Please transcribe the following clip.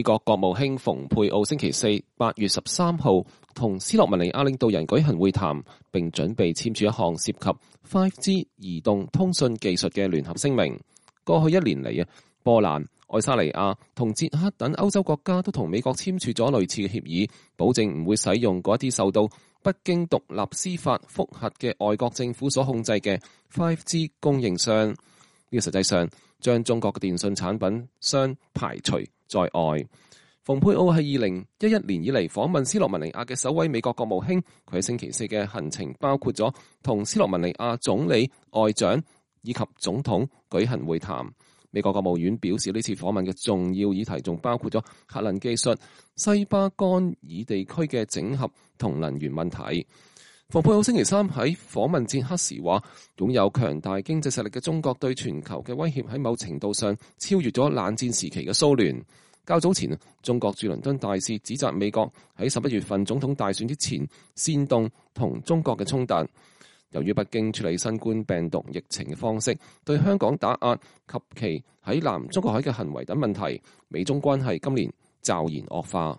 美國國務卿蓬佩奧星期四8月13號同斯洛文尼亞領導人舉行會談，並準備簽署一項涉及 5G 移動通訊技術嘅聯合聲明。過去1年嚟，波蘭、愛沙尼亞同捷克等歐洲國家都同美國簽署咗類似嘅協議，保證唔會使用嗰啲受到不經獨立司法覆核嘅外國政府所控制嘅 5G 供應商。呢個實際上將中國嘅電信產品商排除在外。蓬佩奧係2011年以嚟訪問斯洛文尼亞嘅首位美國國務卿，佢喺星期四嘅行程包括咗同斯洛文尼亞總理、外長以及總統舉行會談。美國國務院表示，呢次訪問嘅重要議題仲包括咗核能技術、西巴干爾地區嘅整合同能源問題。蓬佩奧星期三喺訪問捷克時話，擁有強大經濟實力嘅中國對全球嘅威脅喺某程度上超越咗冷戰時期嘅蘇聯。較早前，中國駐倫敦大使指責美國喺11月份總統大選之前煽動同中國嘅衝突。由於北京處理新冠病毒疫情嘅方式對香港打壓及其喺南中國海嘅行為等問題，美中關係今年驟然惡化。